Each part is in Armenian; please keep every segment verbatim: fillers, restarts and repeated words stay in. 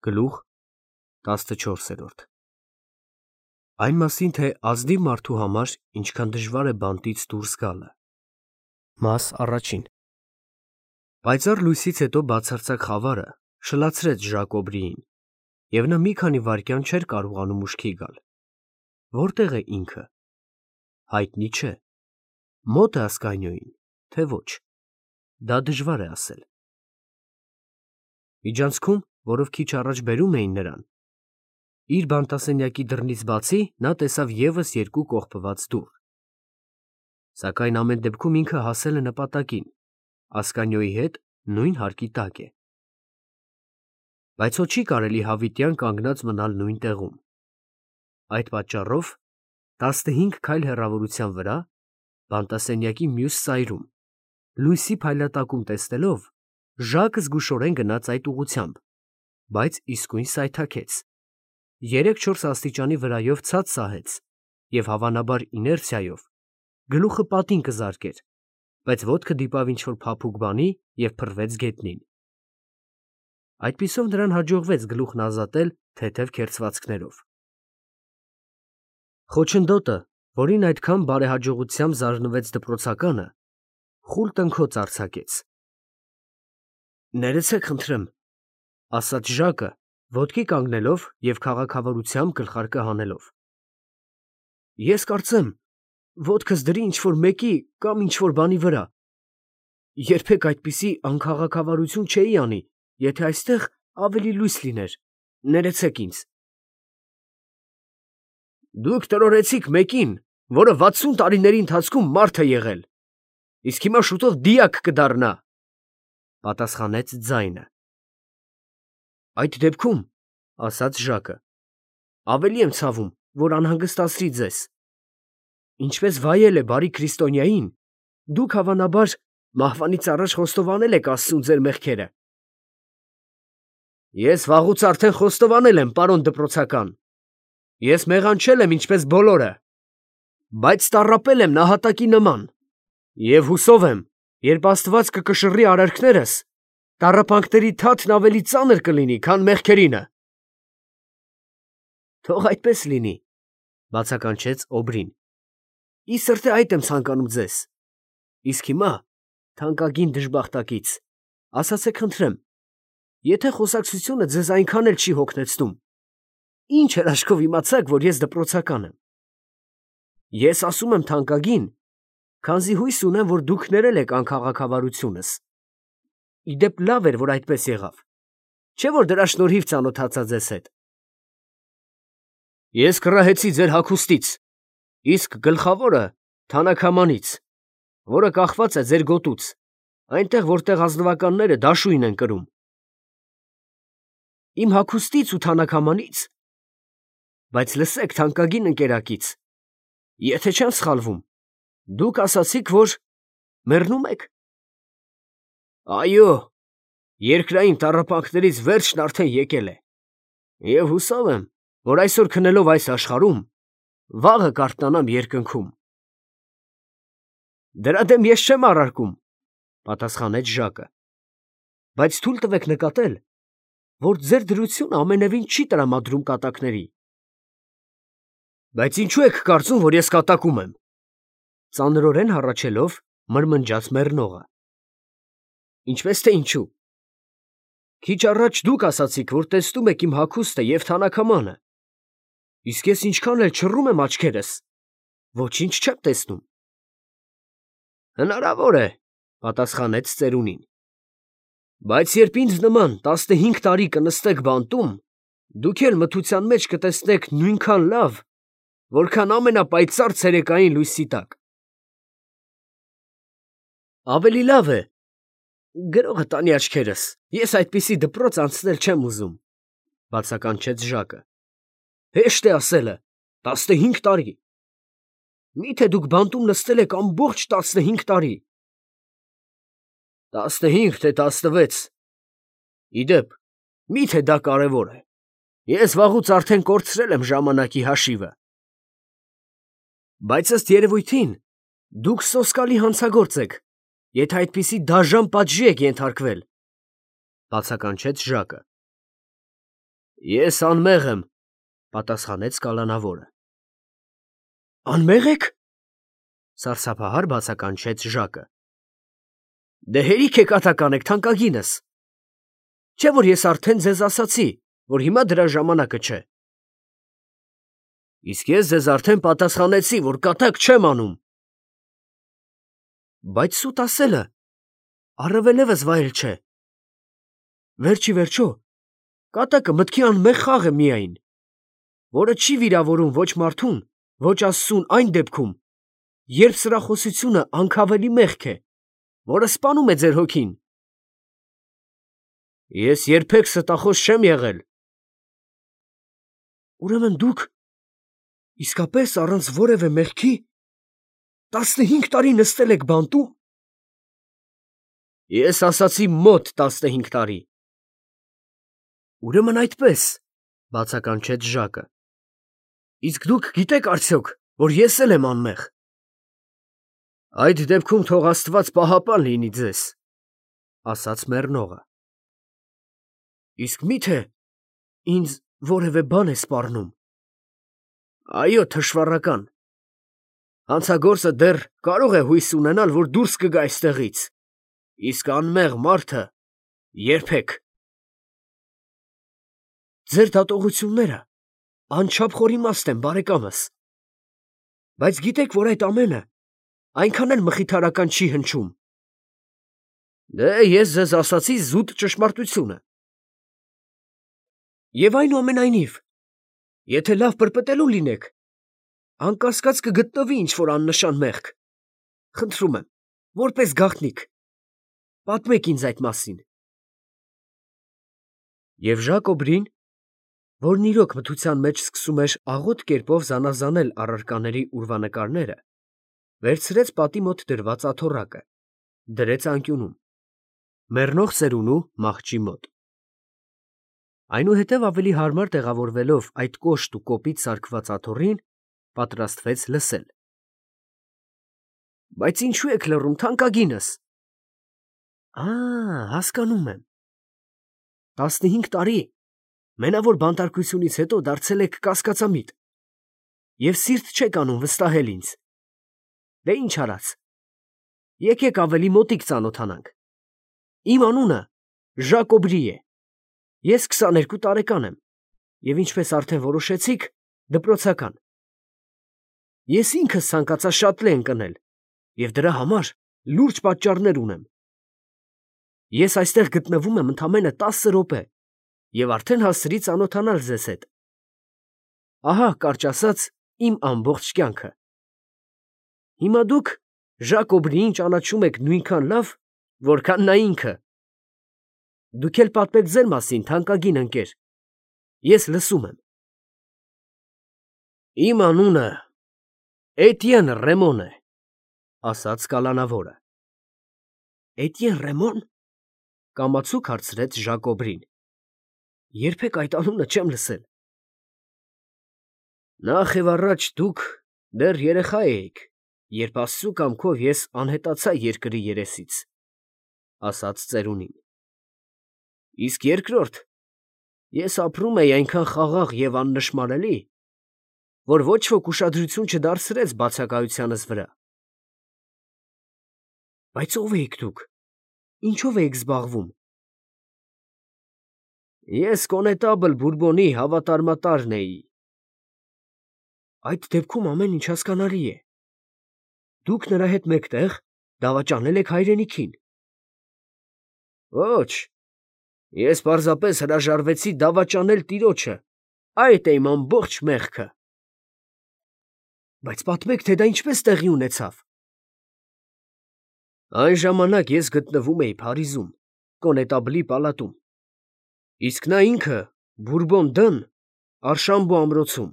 Գլուխ տասնչորսերորդ Այն մասին, թե ազնիվ մարդու համար ինչքան դժվար է բանտից դուրս գալը։ Մաս առաջին Պայծառ լույսից հետո բացարձակ խավարը շլացրեց Ժակոբրիին, և նա մի քանի վայրկյան չէր կարողանում ուշքի գալ։ Որտե՞ղ է ինքը։ Հայտնի չէ։ Մոտ է ասկայնոյին, թե ոչ։ Դա դժվար է ասել։ Միջանցքում, որով քիչ առաջ բերում էին նրան, իր բանտասենյակի դռնից բացի նա տեսավ ևս երկու կողպված դուռ։ Սակայն ամեն դեպքում ինքը հասել է նպատակին, ասկանյոյի հետ նույն հարկի տակ է։ Բայց հո չի կարելի հավիտյան կանգնած մնալ նույն տեղում։ Այդ պատճառով տասնհինգ քայլ հեռավորության վրա, բանտասենյակի մյուս ծայրում, լույսի փայլատակում տեսնելով, Ժակը զգուշորեն գնաց այդ ուղղությամբ, բայց իսկույն սայթաքեց, երեք-չորս աստիճանի վրայով ցած սահեց և հավանաբար իներցիայով գլուխը պատին կզարկեր, բայց ոտքը դիպավ ինչ-որ փափուկ բանի և փռվեց գետնին։ Այդպիսով նրան հաջողվեց գլուխն ազատել թեթև քերծվածքներով։ Խոչընդոտը, որին այդքան բարեհաջողությամբ զարնվեց դպրոցականը, խուլ տնքոց արձակեց։ «Ներեցեք, խնդրեմ», ֊ ասաց Ժակը, ոտքի կանգնելով և քաղաքավարությամբ գլխարկը հանելով։ «Ես կարծեմ, ոտքս դրի ինչ֊որ մեկի կամ ինչ֊որ բանի վրա։ Երբեք այդպիսի անքաղաքավարություն չէի անի, եթե այստեղ ավելի լույս լիներ, ներեցեք ինձ»։ «Դուք տրորեցիք մեկին, որը վաթսուն տարիների ընթացքում մարդ է եղել, իսկ հիմա շուտով դիակ կդառնա», ֊ պատասխանեց ձայնը։ «Այդ դեպքում, ֊ ասաց Ժակը, ֊ ավելի եմ ցավում, որ անհանգստացրի ձեզ։ Ինչպես վայել է բարի քրիստոնյային, դուք, հավանաբար, մահվանից առաջ խոստովանել եք աստծուն ձեր մեղքերը»։ «Ես վաղուց արդեն խոստովանել եմ, պարոն դպրոցական. ես մեղանչել եմ ինչպես բոլորը, բայց տառապել եմ նահատակի նման, և հուսով եմ, երբ Աստված կկշռի արարքներս, տառապանքների թաթն ավելի ծանր կլինի, քան մեղքերինը»։ «Թող այդպես լինի», ֊ բացականչեց Օբրին։ «Ի սրտե այդ եմ ցանկանում ձեզ։ Իսկ հիմա, թանկագին դժբախտակից, ասացեք խնդրեմ, եթե խոսակցությունը ձեզ այնքան էլ չի հոգնեցնում, ի՞նչ հրաշքով իմացաք, որ ես դպրոցական եմ։ Ես ասում եմ թանկագին, քանզի հույս ունեմ, որ դուք ներել եք անքաղաքավարությունս։ Ի դեպ, լավ էր, որ այդպես եղավ, չէ՞ որ դրա շնորհիվ ծանոթացա ձեզ հետ։ Ես կռահեցի ձեր հագուստից, իսկ գլխավորը թանաքամանից, որը կախված է ձեր գոտուց, այնտեղ, որտեղ ազնվականները դաշույն են կրում։ Իմ հագուստից ու թանաքամանից։ Բայց լսեք, թանկագին ընկերակից, եթե չեմ սխալվում, դուք ասացիք, որ մեռնում եք։ Այո, երկրային տառապանքներից վերջն արդեն եկել է, և հուսով եմ, որ այսօր քնելով այս աշխարհում, վաղը կարթնանամ երկնքում։ Դրա դեմ ես չեմ առարկում, ֊ պատասխանեց Ժակը, բայց թույլ տվեք նկատել, որ ձեր դրությունը ամենևին չի տրամադրում կատակների։ Բայց ինչո՞ւ եք կարծում, որ ես կատակում եմ, ֊ ծանրորեն հառաչելով մրմնջաց մեռնողը։ Ինչպես թե ինչու։ Քիչ առաջ դուք ասացիք, որ տեսնում եք իմ հագուստը և թանաքամանը, իսկ ես ինչքան էլ չռում եմ աչքերս, ոչինչ չեմ տեսնում։ Հնարավոր է, ֊ պատասխանեց ծերունին, բայց երբ ինձ նման տասնհինգ տարի կնստեք բանտում, դուք էլ մթության մեջ կտեսնեք նույնքան լավ, որքան ամենապայծառ ցերեկային լույսի տակ։ Ավելի լավ է, գրողը տանի աչքերս, ես այդպիսի դպրոց անցնել չեմ ուզում, ֊ բացականչեց Ժակը։ Հեշտ է ասելը, տասնհինգ տարի։ Մի՞թե դուք բանտում նստել եք ամբողջ տասնհինգ տարի։ Տասնհինգ, թե տասնվեց։ Ի դեպ, մի՞թե դա կարևոր է։ Ես վաղուց արդեն կորցրել եմ ժամանակի հաշիվը։ Բայց ըստ երևույթին, դուք սոսկալի հանցագործ եք, եթե այդպիսի դաժան պատժի եք ենթարկվել, ֊ բացականչեց Ժակը։ Ես անմեղ եմ, պատասխանեց կալանավորը։ Անմեղ եք, սարսափահար բացականչեց Ժակը։ Դե հերիք է կատական եք, թանկագինս։ Չէ՞ որ ես արդեն ձեզ ասացի, որ հիմա դրա ժամանակը չէ։ Իսկ ես ձեզ արդեն պատասխանեցի, որ կատակ չեմ անում։ Բայց սուտ ասելը առավելևս վայել չէ։ Վերջի վերջո, կատակը մտքի անմեղ խաղ է միայն, որը չի վիրավորում ոչ մարդուն, ոչ Աստծուն այն դեպքում, երբ սրախոսությունը անքավելի մեղք է, որը սպանում է ձեր հոգին։ Ես երբեք ստախոս չեմ եղել։ Ուրեմն դուք իսկապես առանց որևէ մեղքի տասնհինգ տարի նստել եք բանտում։ Ես ասացի մոտ տասնհինգ տարի։ Ուրեմն այդպես, բացականչեց Ժակը։ Իսկ դուք գիտեք արդյոք, որ ես էլ եմ անմեղ։ Այդ դեպքում թող Աստված պահապան լինի ձեզ, ասաց մեռնողը։ Իսկ միթե ինձ որևէ բան է սպառնում։ Այո, թշվառական։ Հանցագործը դեռ կարող է հույս ունենալ, որ դուրս կգա այստեղից, իսկ անմեղ մարդը երբեք։ Ձեր դատողությունները անչափ խորիմաստ են, բարեկամս, բայց գիտեք, որ այդ ամենը այնքան էլ մխիթարական չի հնչում։ Դե ես ձեզ ասացի զուտ ճշմարտությունը։ Եվ այնուամենայնիվ, եթե լավ պրպտելու լինեք, անկասկած կգտնվի ինչ-որ աննշան մեղք։ Խնդրում եմ, որպես գաղտնիք, պատմեք ինձ այդ մասին։ Եվ Ժակոբրին, որն իրոք մթության մեջ սկսում էր աղոտ կերպով զանազանել առարկաների ուրվանկարները, վերցրեց պատի մոտ դրված աթոռակը, դրեց անկյունում, մեռնող ծերունու մահճի մոտ։ Այնուհետև ավելի հարմար տեղավորվելով այդ կոշտ ու կոպիտ սարքված աթոռին, պատրաստվեց լսել։ Բայց ինչու եք լռում, թանկագինս։ Ա, հասկանում եմ։ Տասնհինգ տարի մենավոր բանտարկությունից հետո դարձել եք կասկածամիտ և սիրտ չեք անում վստահել ինձ։ Դե ինչ արած։ Եկեք ավելի մոտիկ ծանոթանանք։ Իմ անունը Ժակոբրի է։ Ես քսաներկու տարեկան եմ և ինչպես արդեն որոշեցիք, դպրոցական։ Ես ինքս ցանկացա շատլե ընկնել և դրա համար լուրջ պատճառներ ունեմ։ Ես այստեղ գտնվում եմ ընդամենը տասը րոպե և արդեն հասցրի ծանոթանալ ձեզ հետ։ Ահա, կարճ ասած, իմ ամբողջ կյանքը։ Հիմա դուք Ժակոբրիին ճանաչում եք նույնքան լավ, որքան նա ինքը։ Դուք էլ պատմեք ձեր մասին, թանկագին ընկեր։ Ես լսում եմ։ Իմ անունը Էտիեն Ռեմոն է, ասաց կալանավորը։ Էտիեն Ռեմոն, կամացուկ հարցրեց Ժակոբրին։ Երբեք այդ անունը չեմ լսել։ Նախ և առաջ դուք դեռ երեխա էիք, երբ Աստծու կամքով ես անհետացա երկրի երեսից, ասաց ծերունին։ Իսկ երկրորդ, ես ապրում էի այնքան խաղաղ և աննշմարելի, որ ոչ ոք ուշադրություն չդարձրեց բացակայությանս վրա։ Բայց ո՞վ էիք դուք, ինչով էիք զբաղվում։ Ես կոնետաբլ Բուրբոնի հավատարմատարն էի։ Այդ դեպքում ամեն ինչ հասկանալի է։ Դուք նրա հետ մեկտեղ դավաճանել եք հայրենիքին։ Ոչ, ես պարզապես հրաժարվեցի դավաճանել տիրոջը, այդ է իմ ամբողջ մեղքը։ Բայց պատմեք, թե դա ինչպես տեղի ունեցավ։ Այն ժամանակ ես գտնվում էի Փարիզում, կոնետաբլի պալատում, իսկ նա ինքը Բուրբոն Դն Արշամբո ամրոցում։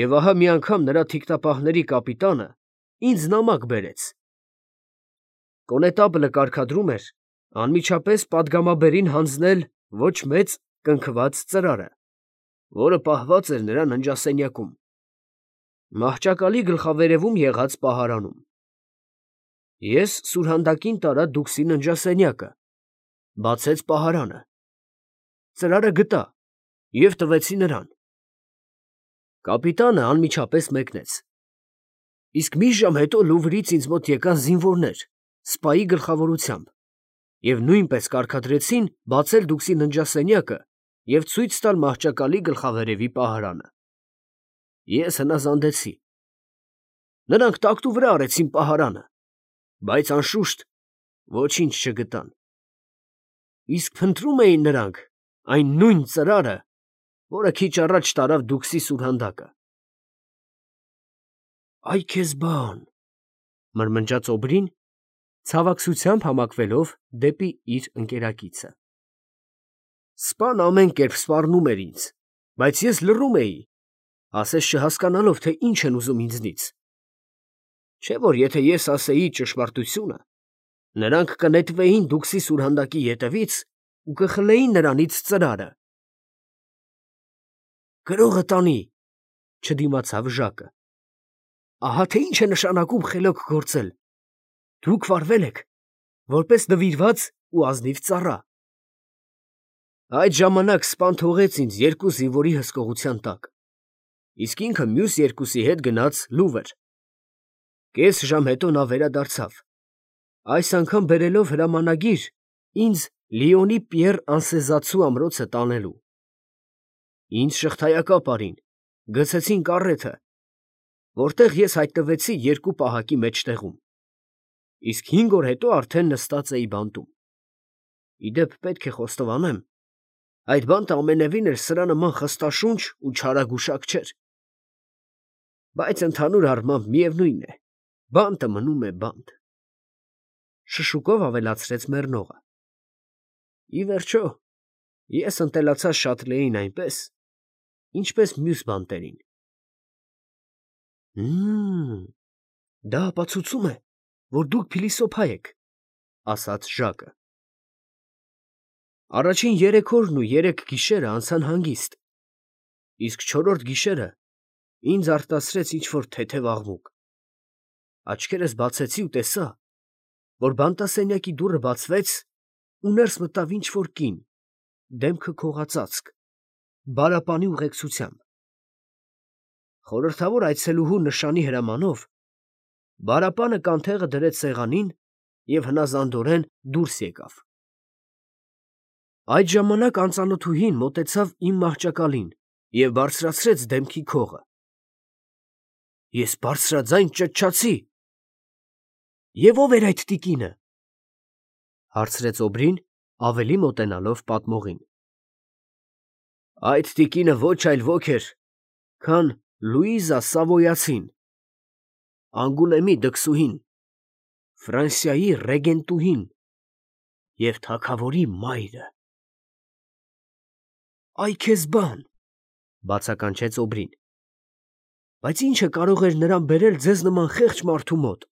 Եվ ահա մի անգամ նրա թիկնապահների կապիտանը ինձ նամակ բերեց։ Կոնետաբլը կարգադրում էր անմիջապես պատգամաբերին հանձնել ոչ մեծ կնքված ծրարը, որը պահված էր նրա ննջասենյակում, մահճակալի գլխավերևում եղած պահարանում։ Ես սուրհանդակին տարա դուքսի ննջասենյակը, բացեց պահարանը։ Ծրարը գտա և տվեցի նրան։ Կապիտանը անմիջապես մեկնեց։ Իսկ մի ժամ հետո Լուվրից ինձ մոտ եկան զինվորներ, սպայի գլխավորությամբ, և նույնպես կարգադրեցին բացել դուքսի ննջասենյակը և ցույց տալ մահճակալի գլխավերևի պահարանը։ Ես հնազանդեցի։ Նրանք տակտու վրա արեցին պահարանը, բայց անշուշտ ոչինչ չգտան։ Իսկ փնտրում էին նրանք այն նույն ծրարը, որը քիչ առաջ տարավ դուքսի սուրհանդակը։ ֊ Այ քեզ բան, ֊ մրմնջաց Օբրին, ցավակցությամբ համակվելով դեպի իր ընկերակիցը։ Սպան ամեն կերպ սպառնում էր ինձ, բայց ես լռում էի, ասես չհասկանալով, թե ինչ են ուզում ինձնից։ Չէ՞ որ եթե ես ասեի ճշմարտությունը, նրանք կնետվեին դուքսի սուրհանդակի ետևից ու կխլեին նրանից ծրարը։ Գրողը տանի, ֊ չդիմացավ Ժակը։ Ահա թե ինչ է նշանակում խելոք գործել։ Դուք վարվել եք որպես նվիրված ու ազնիվ ծառա։ Այդ ժամանակ սպան թողեց ինձ երկու զինվորի հսկողության տակ, իսկ ինքը մյուս երկուսի հետ գնաց Լուվր։ Կես ժամ հետո նա վերադարձավ, այս անգամ բերելով հրամանագիր ինձ Լիոնի Պիեռ Անսեզացու ամրոցը տանելու։ Ինձ շղթայակապ արին, գցեցին կառեթը, որտեղ ես հայտնվեցի երկու պահակի մեջտեղում, իսկ հինգ օր հետո արդեն նստած էի բանտում։ Ի դեպ, պետք է խոստովանեմ, այդ բանտը ամենևին էլ սրա նման խստաշունչ ու չարագուշակ չէր։ Բայց ընդհանուր առմամբ միևնույն է, բանտը մնում է բանտ, ֊ շշուկով ավելացրեց մեռնողը։ Ի վերջո, ես ընտելացա Շատլեին այնպես, ինչպես մյուս բանտերին։ Հըմ, դա ապացուցում է, որ դուք փիլիսոփա եք, ֊ ասաց Ժակը։ Առաջին երեք օրն ու երեք գիշերը անցան հանգիստ, իսկ չորրորդ գիշերը ինձ արտասրեց ինչ֊որ թեթև աղմուկ։ Աչքերս բացեցի ու տեսա, որ բանտասենյակի դուռը բացվեց ու ներս մտավ ինչ֊որ կին, դեմքը քողածածկ, բարապանի ուղեկցությամբ։ Խորհրդավոր այցելուհու նշանի հրամանով բարապանը կանթեղը դրեց սեղանին և հնազանդորեն դուրս եկավ։ Այդ ժամանակ անծանոթուհին մոտեցավ իմ մահճակալին և բարձրացրեց դեմքի քողը։ Ես բարձրաձայն ճչացի. «Եվ ո՞վ էր այդ տիկինը» ֊ հարցրեց Օբրին, ավելի մոտենալով պատմողին։ Այդ տիկինը ոչ այլ ոք էր, քան Լուիզա Սավոյացին, Անգուլեմի դքսուհին, Ֆրանսիայի ռեգենտուհին և թագավորի մայրը։ ֊ Այ քեզ բան, ֊ բացականչեց Օբրին, ֊ բայց ի՞նչը կարող էր նրան բերել ձեզ նման խեղճ մարդու մոտ։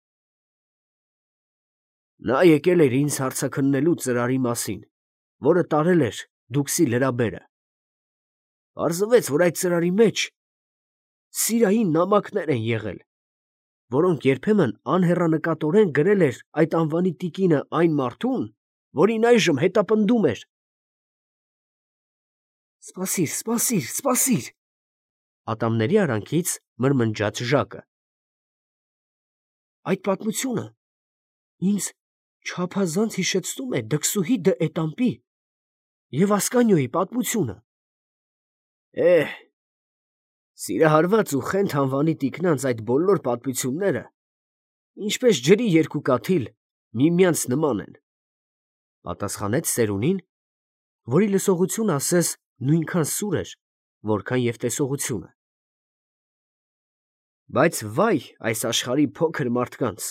Նա եկել էր ինձ հարցաքննելու ծրարի մասին, որը տարել էր դուքսի լրաբերը։ Պարզվեց, որ այդ ծրարի մեջ սիրային նամակներ են եղել, որոնք երբեմն անհեռանկատորեն գրել էր այդ անվանի տիկինը այն մարդուն, որին այժմ հետապնդում էր։ Սպասիր, սպասիր, սպասիր, ֊ ատամների արանքից մրմնջաց Ժակը։ Այդ պատմությունը ինձ չափազանց հիշեցնում է դքսուհի դը Էտամպի և Ասկանիոյի պատմությունը։ Էհ, սիրահարված ու Խենթ անվանի տիկնանց այդ բոլոր պատմությունները ինչպես ջրի երկու կաթիլ միմյանց նման են, ֊ պատասխանեց Սերունին, որի լսողությունը ասես նույնքան սուր էր, որքան և տեսողությունը։ Բայց վայ այս աշխարհի փոքր մարդկանց,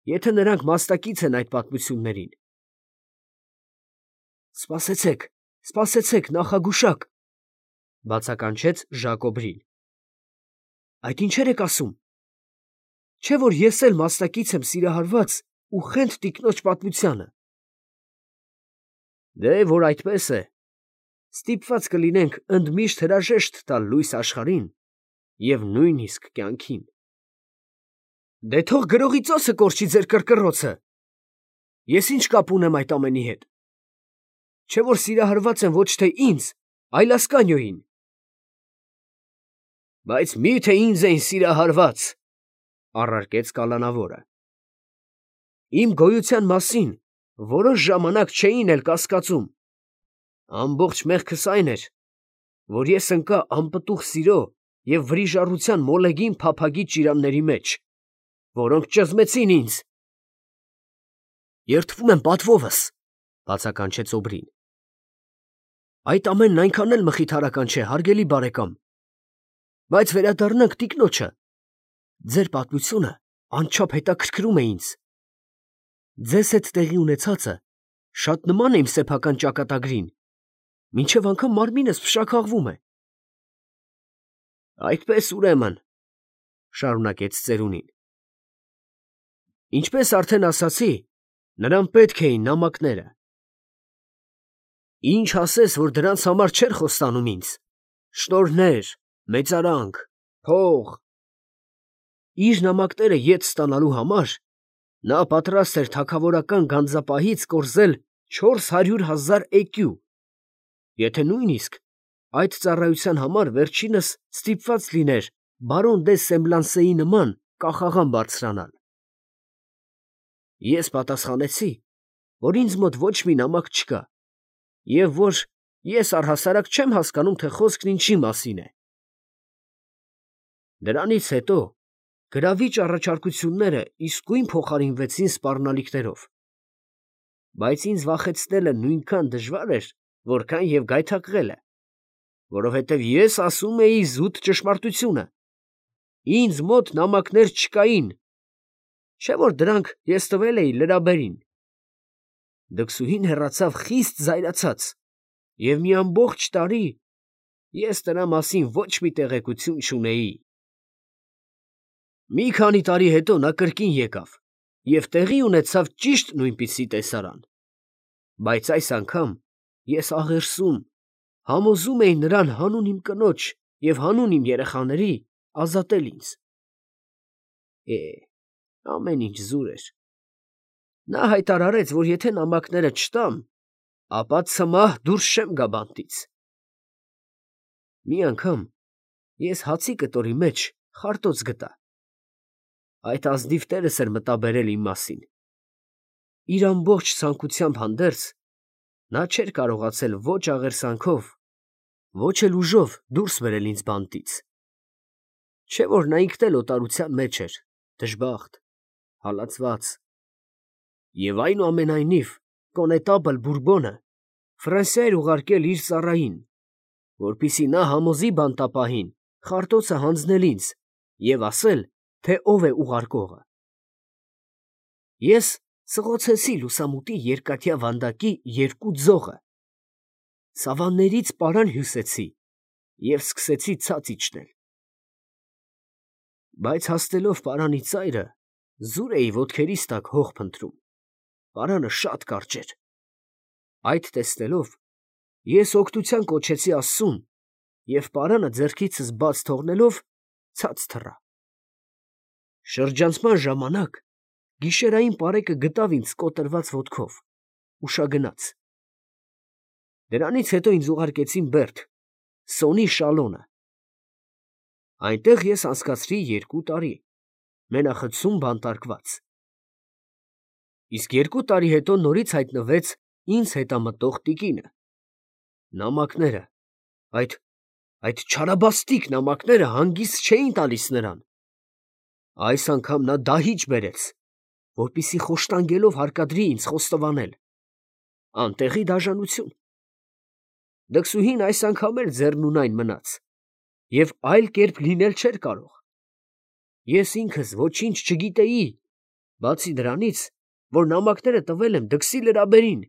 եթե նրանք մասնակից են այդ պատմություններին։ Սպասեցեք, սպասեցեք, նախագուշակ, ֊ բացականչեց Ժակոբրին։ Այդ ինչեր եք ասում։ Չէ՞ որ ես էլ մասնակից եմ սիրահարված ու Խենթ տիկնոջ պատմությանը։ Դե որ այդպես է, ստիպված կլինենք ընդմիշտ հրաժեշտ տալ լույս աշխարհին և նույնիսկ կյանքին։ Դե թող գրողի ծոցը կորչի ձեր կռկռոցը։ Ես ինչ կապ ունեմ այդ ամենի հետ։ Չէ՞ որ սիրահարված եմ ոչ թե ինձ, այլ Ասկանյոյին։ Բայց մի՞թե ինձ էին սիրահարված, առարկեց կալանավորը։ Իմ գոյության մասին որոշ ժամանակ չէին էլ կասկածում։ Ամբողջ մեղքս այն էր, որ ես ընկա անպտուղ սիրո և վրիժառության մոլեգին փափագի ճիրանների մեջ, որոնք ճզմեցին ինձ։ Երդվում եմ պատվովս, բացականչեց Օբրին։ Այդ ամենն այնքան էլ մխիթարական չէ, հարգելի բարեկամ, բայց վերադառնանք տիկնոջը։ Ձեր պատմությունը անչափ հետաքրքրում է ինձ։ Ձեզ հետ տեղի ունեցածը շատ նման է իմ սեփական ճակատագրին, մինչև անգամ մարմինս փշաքաղվում է։ Այդպես ուրեմն, շարունակեց ծերունին։ Ինչպես արդեն ասացի, նրան պետք էին նամակները։ Ինչ ասես, որ դրանց համար չէր խոստանում ինձ. շնորհներ, մեծարանք, փող։ Իր նամակները ետ ստանալու համար նա պատրաստ էր թագավորական գանձապահից կորզել չորս հարյուր հազար էկյու, եթե նույնիսկ այդ ծառայության համար վերջինս ստիպված լիներ բարոն դե Սեմբլանսեի նման կախաղան բարձրանալ։ Ես պատասխանեցի, որ ինձ մոտ ոչ մի նամակ չկա, և որ ես առհասարակ չեմ հասկանում, թե խոսքն ինչի մասին է։ Դրանից հետո գրավիչ առաջարկությունները իսկույն փոխարինվեցին սպառնալիքներով, բայց ինձ վախեցնելը նույնքան դժվար էր, որքան և գայթակղելը, որովհետև ես ասում էի զուտ ճշմարտությունը։ Ինձ մոտ նամակներ չկային, չէ՞ որ դրանք ես տվել էի լրաբերին։ Դքսուհին հեռացավ խիստ զայրացած, և մի ամբողջ տարի ես նրա մասին ոչ մի տեղեկություն չունեի։ Մի քանի տարի հետո նա կրկին եկավ և տեղի ունեցավ ճիշտ նույնպիսի տեսարան, բայց այս անգամ ես աղերսում, համոզում էի նրան հանուն իմ կնոջ և հանուն իմ երեխաների ազատել ինձ։ Է, ամեն ինչ զուր էր։ Նա հայտարարեց, որ եթե նամակները չտամ, ապա ցմահ դուրս չեմ գա բանտից։ Մի անգամ ես հացի կտորի մեջ խարտոց գտա։ Այդ ազնիվ տերս էր մտաբերել իմ մասին։ Իր ամբողջ ցանկությամբ հանդերձ, նա չէր կարողացել ոչ աղերսանքով, ոչ էլ ուժով դուրս բերել ինձ բանտից։ Չէ՞ որ նա ինքն էլ օտարության մեջ էր, դժբախտ, հալածված։ Եվ այնուամենայնիվ կոնետաբլ Բուրբոնը Ֆրանսիա էր ուղարկել իր ծառային, որպեսզի նա համոզի բանտապահին խարտոցը հանձնել ինձ և ասել, թե ով է ուղարկողը։ Ես սղոցեցի լուսամուտի երկաթյա վանդակի երկու ձողը, սավաններից պարան հյուսեցի և սկսեցի ցած իջնել։ Բայց հասնելով պարանի ծայրը, զուր էի ոտքերիս տակ հող փնտրում, պարանը շատ կարճ էր։ Այդ տեսնելով, ես օգնության կոչեցի Աստծուն և պարանը ձեռքիցս բաց թողնելով ցած թռա։ Շրջանցման ժամանակ գիշերային պարեկը գտավ ինձ կոտրված ոտքով, ուշագնաց։ Դրանից հետո ինձ ուղարկեցին Բերդ, Սոնի Շալոնը։ Այնտեղ ես անցկացրի երկու տարի, մենախցում բանտարկված։ Իսկ երկու տարի հետո նորից հայտնվեց ինձ հետամտող տիկինը։ Նամակները, այդ, այդ չարաբաստիկ նամակները հանգիստ չէին տալիս նրան։ Այս անգամ նա դահիճ բերեց, որպեսզի խոշտանգելով հարկադրի ինձ խոստովանել։ Անտեղի դաժանություն։ Դքսուհին այս անգամ էլ ձեռնունայն մնաց և այլ կերպ լինել չէր կարող։ Ես ինքս ոչինչ չգիտեի, բացի դրանից, որ նամակները տվել եմ դքսի լրաբերին,